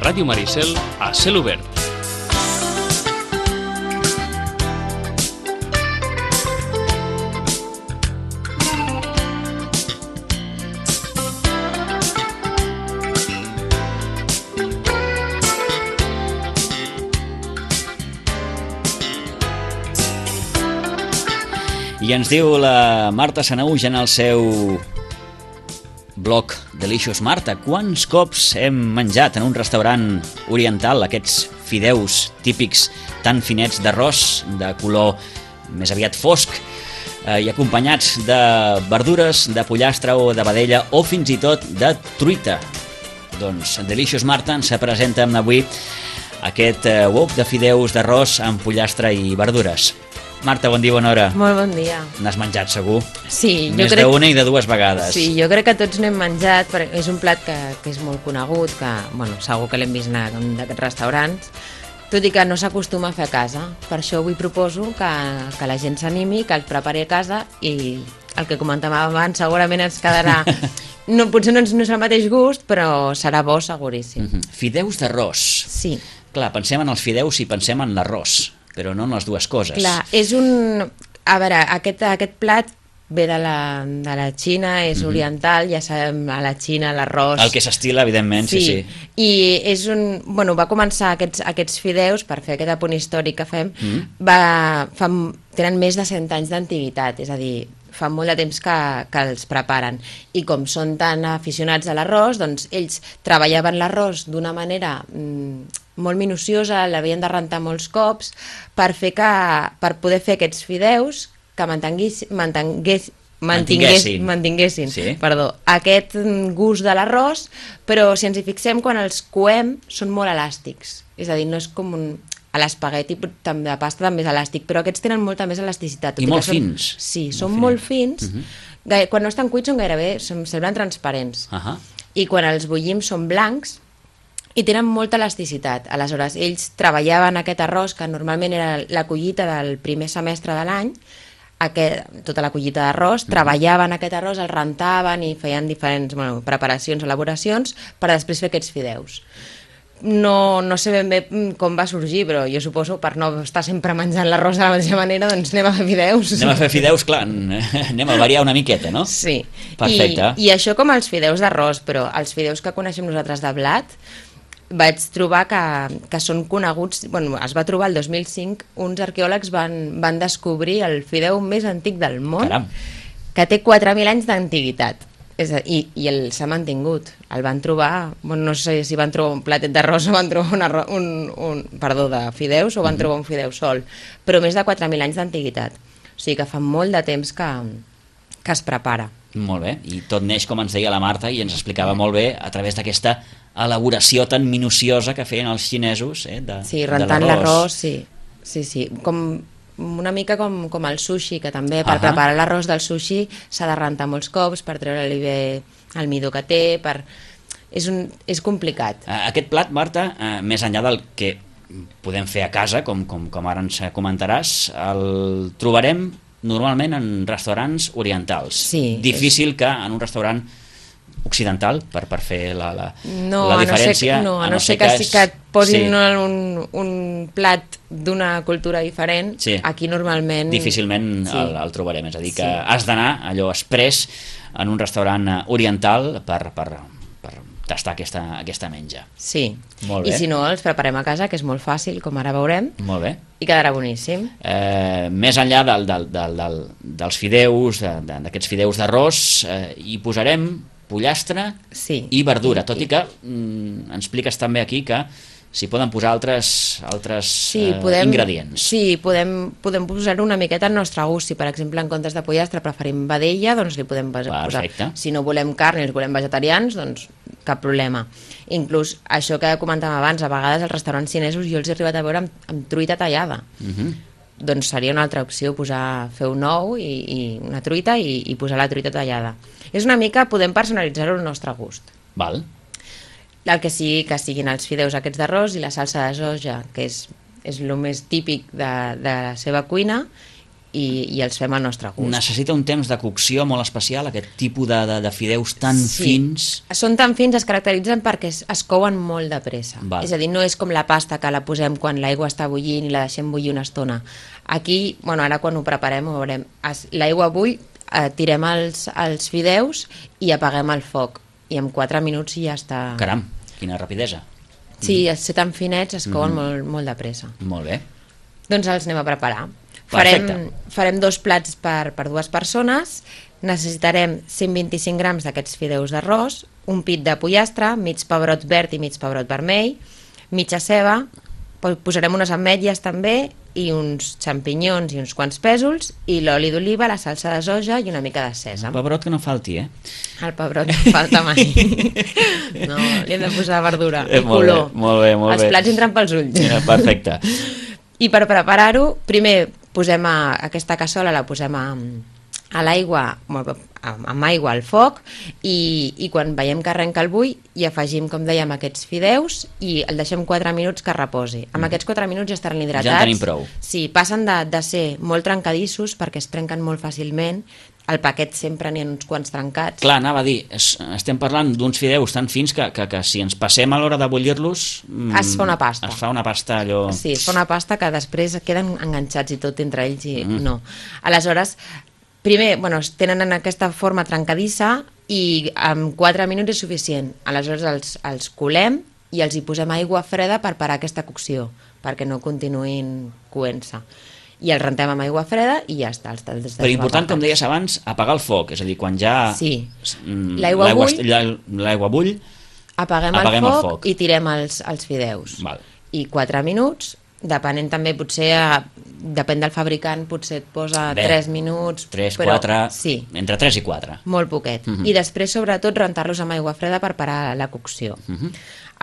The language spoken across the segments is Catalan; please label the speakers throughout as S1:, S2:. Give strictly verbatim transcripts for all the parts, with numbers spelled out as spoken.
S1: Ràdio Maricel a cel obert.
S2: I ens diu la Marta Sanauj en el seu blog Delicious Marta, quants cops hem menjat en un restaurant oriental aquests fideus típics tan finets d'arròs de color més aviat fosc eh, i acompanyats de verdures, de pollastre o de vedella o fins i tot de truita. Doncs Delicious Marta ens presenta avui aquest eh, wok de fideus d'arròs amb pollastre i verdures. Marta, bon dia, bona hora.
S3: Molt bon dia.
S2: N'has menjat segur?
S3: Sí.
S2: Més
S3: crec...
S2: d'una i de dues vegades.
S3: Sí, jo crec que tots n'hem menjat, perquè és un plat que, que és molt conegut, que bueno, segur que l'hem vist en un d'aquests restaurants, tot i que no s'acostuma a fer a casa. Per això avui proposo que, que la gent s'animi, que el prepari a casa i el que comentàvem abans segurament ens quedarà... No, potser no, no és el mateix gust, però serà bo seguríssim.
S2: Mm-hmm. Fideus d'arròs.
S3: Sí.
S2: Clar, pensem en els fideus i pensem en l'arròs, però no en les dues coses.
S3: Clar, és un... A veure, aquest, aquest plat ve de la, de la Xina, és mm-hmm. oriental, ja sabem, a la Xina l'arròs...
S2: El que s'estila, evidentment, sí, sí.
S3: sí. I és un... Bueno, va començar aquests, aquests fideus, per fer aquest apunt històric que fem, mm-hmm. va, fa, tenen més de cent anys d'antiguitat, és a dir, fa molt de temps que, que els preparen. I com són tan aficionats a l'arròs, doncs ells treballaven l'arròs d'una manera... Mm, molt minuciosa, l'havien de rentar molts cops per fer que, per poder fer aquests fideus que mantenguis, mantengués, mantingués, mantinguessin, mantinguessin sí. perdó, aquest gust de l'arròs, però si ens hi fixem, quan els coem són molt elàstics, és a dir, no és com un... A l'espagueti de pasta també és elàstic, però aquests tenen molta més elasticitat.
S2: I molt
S3: són,
S2: fins.
S3: Sí,
S2: molt
S3: són
S2: finet.
S3: molt fins. Uh-huh. Quan no estan cuits són gairebé, són, semblen transparents.
S2: Uh-huh.
S3: I quan els bullim són blancs, i tenen molta elasticitat. Aleshores, ells treballaven aquest arròs, que normalment era la collita del primer semestre de l'any, aquest, tota la collita d'arròs, mm. treballaven aquest arròs, el rentaven i feien diferents bueno, preparacions, elaboracions, per després fer aquests fideus. No, no sé ben bé com va sorgir, però jo suposo, per no estar sempre menjant l'arròs de la mateixa manera, doncs anem a fer fideus.
S2: Anem a fer fideus, clar, anem a variar una miqueta, no?
S3: Sí.
S2: Perfecte.
S3: I, i això com els fideus d'arròs, però els fideus que coneixem nosaltres de blat, vaig trobar que, que són coneguts, bueno, es va trobar el dos mil cinc, uns arqueòlegs van, van descobrir el fideu més antic del món,
S2: Caram.
S3: que té quatre mil anys d'antiguitat. És a, i, i el s'ha mantingut. El van trobar, bueno, no sé si van trobar un platet d'arròs o van trobar un, arròs, un, un perdó, de fideus o van mm-hmm. trobar un fideu sol, però més de quatre mil anys d'antiguitat. O sigui que fa molt de temps que, que es prepara.
S2: Molt bé, i tot neix, com ens deia la Marta, i ens explicava molt bé, a través d'aquesta elaboració tan minuciosa que feien els xinesos, eh, de,
S3: sí, rentant l'arròs, sí, sí, sí, com una mica com, com el sushi, que també per uh-huh. preparar l'arròs del sushi s'ha de rentar molts cops per treure-li bé el midó que té, per... és, un, és complicat.
S2: Aquest plat, Marta, eh, més enllà del que podem fer a casa, com, com, com ara ens comentaràs, el trobarem normalment en restaurants orientals.
S3: Sí,
S2: difícil és... que en un restaurant occidental, per, per fer la, la,
S3: no,
S2: la diferència.
S3: A no ser, no, a no ser que, que, que et posin sí. un, un plat d'una cultura diferent, sí. aquí normalment...
S2: Difícilment sí. el, el trobarem, és a dir, que sí. has d'anar allò express en un restaurant oriental per, per, per tastar aquesta, aquesta menja.
S3: Sí,
S2: molt bé.
S3: I si no, els preparem a casa, que és molt fàcil, com ara veurem.
S2: Molt bé.
S3: I quedarà boníssim.
S2: Eh, més enllà del, del, del, del, dels fideus, d'aquests fideus d'arròs, eh, hi posarem pollastre
S3: sí.
S2: i verdura, tot i que mm, ens expliques també aquí que s'hi poden posar altres, altres
S3: sí,
S2: eh,
S3: podem,
S2: ingredients.
S3: Sí, podem, podem posar una miqueta al nostre gust. Si, per exemple, en comptes de pollastre preferim vedella, doncs li podem posar.
S2: Perfecte.
S3: Si no volem carn i els volem vegetarians, doncs cap problema. Inclús això que comentàvem abans, a vegades als restaurants xinesos jo els he arribat a veure amb, amb truita tallada. Uh-huh. Doncs seria una altra opció posar, fer un ou i, i una truita i, i posar la truita tallada. És una mica, podem personalitzar-ho al nostre gust.
S2: Val.
S3: El que sigui que siguin els fideus aquests d'arròs i la salsa de soja, que és, és el més típic de, de la seva cuina, i, i els fem al nostre gust.
S2: Necessita un temps de cocció molt especial, aquest tipus de, de, de fideus tan
S3: Sí.
S2: fins.
S3: Són tan fins, es caracteritzen perquè es, es couen molt de pressa.
S2: Val.
S3: És a dir, no és com la pasta que la posem quan l'aigua està bullint i la deixem bullir una estona. Aquí, bueno, ara quan ho preparem, ho veurem. Es- L'aigua bull, eh, tirem els, els fideus i apaguem el foc. I en quatre minuts ja està...
S2: Caram, quina rapidesa.
S3: Sí, al ser tan finets es couen
S2: Mhm.
S3: molt, molt de pressa.
S2: Molt bé.
S3: Doncs els anem a preparar.
S2: Perfecte.
S3: Farem, farem dos plats per, per dues persones. Necessitarem cent vint-i-cinc grams d'aquests fideus d'arròs, un pit de pollastre, mig pebrot verd i mig pebrot vermell, mitja ceba, po- posarem unes ametlles també i uns xampinyons i uns quants pèsols i l'oli d'oliva, la salsa de soja i una mica de sèsam.
S2: Pebrot que no falti, eh?
S3: El pebrot no falta mai. No, li hem de posar verdura
S2: Eh,
S3: i
S2: molt bé,
S3: color.
S2: molt bé, molt
S3: Els
S2: bé.
S3: plats entren pels ulls.
S2: Eh, Perfecte.
S3: I per preparar-ho, primer posem a, aquesta cassola, la posem a, a l'aigua, molt bé, amb amb aigua al foc, i, i quan veiem que arrenca el bull, hi afegim, com dèiem, aquests fideus i el deixem quatre minuts que reposi. Amb aquests quatre minuts ja estaran hidratats.
S2: Ja en tenim prou.
S3: Sí, passen de, de ser molt trencadissos perquè es trenquen molt fàcilment. Al paquet sempre n'hi ha uns quants trencats.
S2: Clar, anava a dir, es, estem parlant d'uns fideus tan fins que, que, que si ens passem a l'hora de bullir-los... mm,
S3: Es fa una pasta.
S2: Es fa una pasta allò...
S3: Sí, es fa una pasta que després queden enganxats i tot entre ells i
S2: Mm.
S3: no. Aleshores, primer, bueno, es tenen en aquesta forma trencadissa i en quatre minuts és suficient. Aleshores els, els colem i els hi posem aigua freda per parar aquesta cocció, perquè no continuïn coent-se. I els rentem amb aigua freda i ja està. Els, els
S2: Però important, com deies abans, apagar el foc, és a dir, quan ja...
S3: Sí.
S2: mm,
S3: L'aigua bull.
S2: est- l'a- L'aigua bull,
S3: Apaguem,
S2: Apaguem
S3: el,
S2: el
S3: foc
S2: foc.
S3: i tirem els, els fideus.
S2: Val.
S3: I quatre minuts, depenent també, potser, eh, depèn del fabricant, potser et posa
S2: Bé,
S3: tres minuts.
S2: tres,
S3: però,
S2: quatre,
S3: Sí,
S2: entre tres i quatre.
S3: molt poquet.
S2: Mhm.
S3: I després, sobretot, rentar-los amb aigua freda per parar la cocció.
S2: Mhm.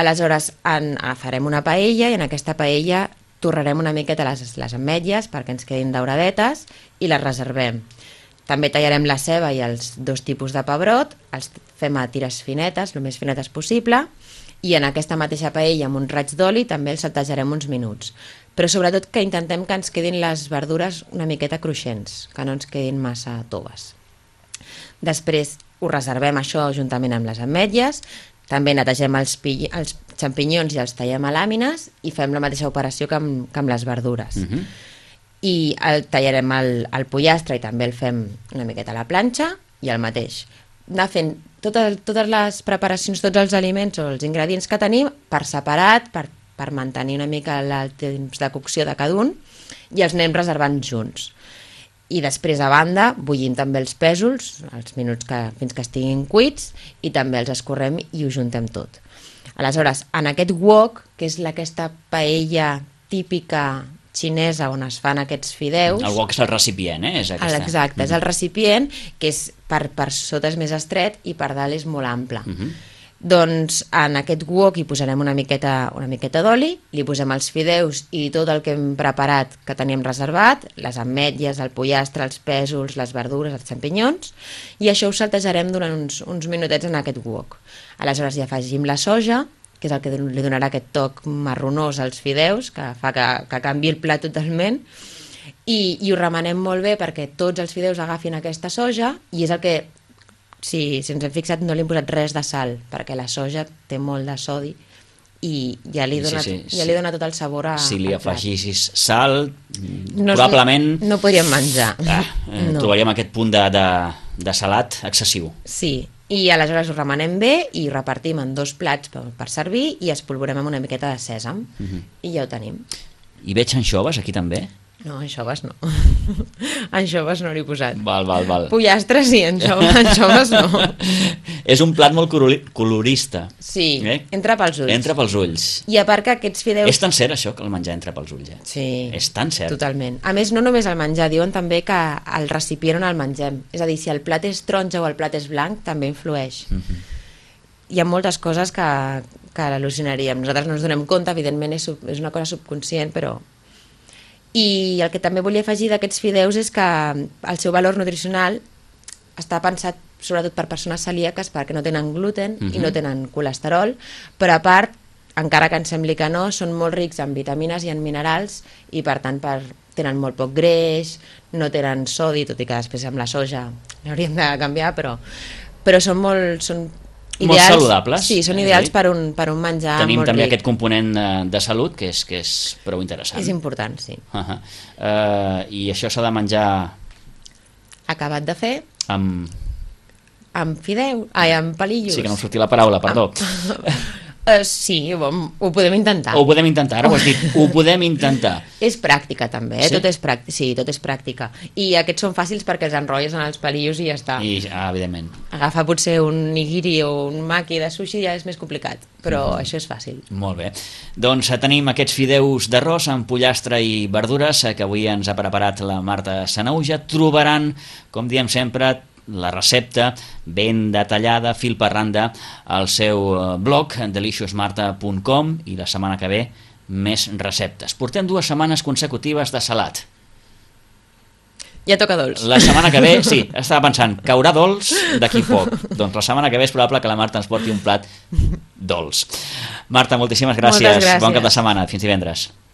S3: Aleshores, en, eh, farem una paella i en aquesta paella torrarem una miqueta les, les ametlles perquè ens quedin dauradetes i les reservem. També tallarem la ceba i els dos tipus de pebrot, els fem a tires finetes, el més finetes possible, i en aquesta mateixa paella amb un raig d'oli també els saltejarem uns minuts. Però sobretot que intentem que ens quedin les verdures una miqueta cruixents, que no ens quedin massa toves. Després ho reservem això juntament amb les ametlles, també netegem els, pi- els xampinyons i els tallem a làmines i fem la mateixa operació que amb, que amb les verdures.
S2: Mhm.
S3: I el, tallarem el, el pollastre i també el fem una miqueta a la planxa i el mateix. Anar fent totes, totes les preparacions, tots els aliments o els ingredients que tenim per separat, per, per mantenir una mica el, el temps de cocció de cada un i els anem reservant junts. I després, a banda, bullim també els pèsols, els minuts que, fins que estiguin cuits, i també els escorrem i ho juntem tot. Aleshores, en aquest wok, que és la- aquesta paella típica xinesa on es fan aquests fideus...
S2: El wok és el recipient, eh? És aquesta.
S3: Exacte, és el recipient, que és per, per sota és més estret i per dalt és molt ample.
S2: Mhm.
S3: Doncs en aquest wok hi posarem una miqueta, una miqueta d'oli, li posem els fideus i tot el que hem preparat, que teníem reservat, les ametlles, el pollastre, els pèsols, les verdures, els xampinyons, i això ho saltejarem durant uns, uns minutets en aquest wok. Aleshores hi afegim la soja, que és el que li donarà aquest toc marronós als fideus, que fa que, que canvi el plat totalment, i, i ho remenem molt bé perquè tots els fideus agafin aquesta soja, i és el que, si, si ens hem fixat, no li hem posat res de sal, perquè la soja té molt de sodi i ja li dona,
S2: Sí, sí,
S3: ja
S2: sí.
S3: li dona tot el sabor a,
S2: Si li
S3: al plat.
S2: afegissis sal,
S3: No es-
S2: probablement
S3: No podríem menjar.
S2: ah, eh,
S3: No.
S2: trobaríem aquest punt de, de, de salat excessiu.
S3: Sí, i aleshores ho remenem bé i repartim en dos plats per, per servir i espolvorem amb una miqueta de sèsam.
S2: Mhm.
S3: I ja ho tenim.
S2: I veig anxoves aquí també?
S3: No, anxoves no. Anxoves no l'he posat.
S2: Val, val, val.
S3: Pollastre sí, anxoves, anxoves no.
S2: És un plat molt colori- colorista.
S3: Sí,
S2: Eh?
S3: entra pels ulls.
S2: Entra pels ulls.
S3: I a part que aquests fideus...
S2: És tan cert això, que el menjar entra pels ulls, eh?
S3: Sí,
S2: És tan cert.
S3: totalment. A més, no només el menjar, diuen també que el recipient on el mengem. És a dir, si el plat és taronja o el plat és blanc, també influeix.
S2: Mhm.
S3: Hi ha moltes coses que, que al·lucinaríem. Nosaltres no ens donem compte, evidentment és, sub, és una cosa subconscient, però... I el que també volia afegir d'aquests fideus és que el seu valor nutricional està pensat sobretot per persones celíaques perquè no tenen gluten
S2: Mhm.
S3: i no tenen colesterol, però a part encara que ens sembli que no, són molt rics en vitamines i en minerals i per tant per, tenen molt poc greix, no tenen sodi, tot i que després amb la soja l'hauríem de canviar, però, però són molt... Són ideals,
S2: molt saludables.
S3: Sí, són ideals per un, per un menjar
S2: Tenim
S3: molt
S2: també
S3: ric.
S2: aquest component de, de salut que és, que és prou interessant.
S3: És important, sí.
S2: Uh -huh. uh, I això s'ha de menjar...
S3: Acabat de fer...
S2: amb...
S3: amb fideu, ai, amb palillos.
S2: Sí, que no em sortia la paraula, perdó.
S3: Uh, sí, ho, ho podem intentar.
S2: Ho podem intentar, ara ho has dit, ho podem intentar.
S3: És pràctica també, eh?
S2: Sí?
S3: Tot és pràctica. Sí, tot és pràctica. I aquests són fàcils perquè els enrotlles en els palillos i ja està.
S2: I, ah, evidentment.
S3: Agafar potser un nigiri o un maki de sushi ja és més complicat, però mm. això és fàcil.
S2: Molt bé. Doncs tenim aquests fideus d'arròs amb pollastre i verdures que avui ens ha preparat la Marta Sanahuja. Trobaran, com diem sempre, la recepta ben detallada, fil per randa, al seu blog delicious marta punt com, i la setmana que ve més receptes. Portem dues setmanes consecutives de salat.
S3: Ja toca dolç.
S2: La setmana que ve, sí, estava pensant, caurà dolç d'aquí poc. Doncs la setmana que ve és probable que la Marta ens porti un plat dolç. Marta, moltíssimes gràcies.
S3: Moltes gràcies.
S2: Bon cap de setmana. Fins divendres.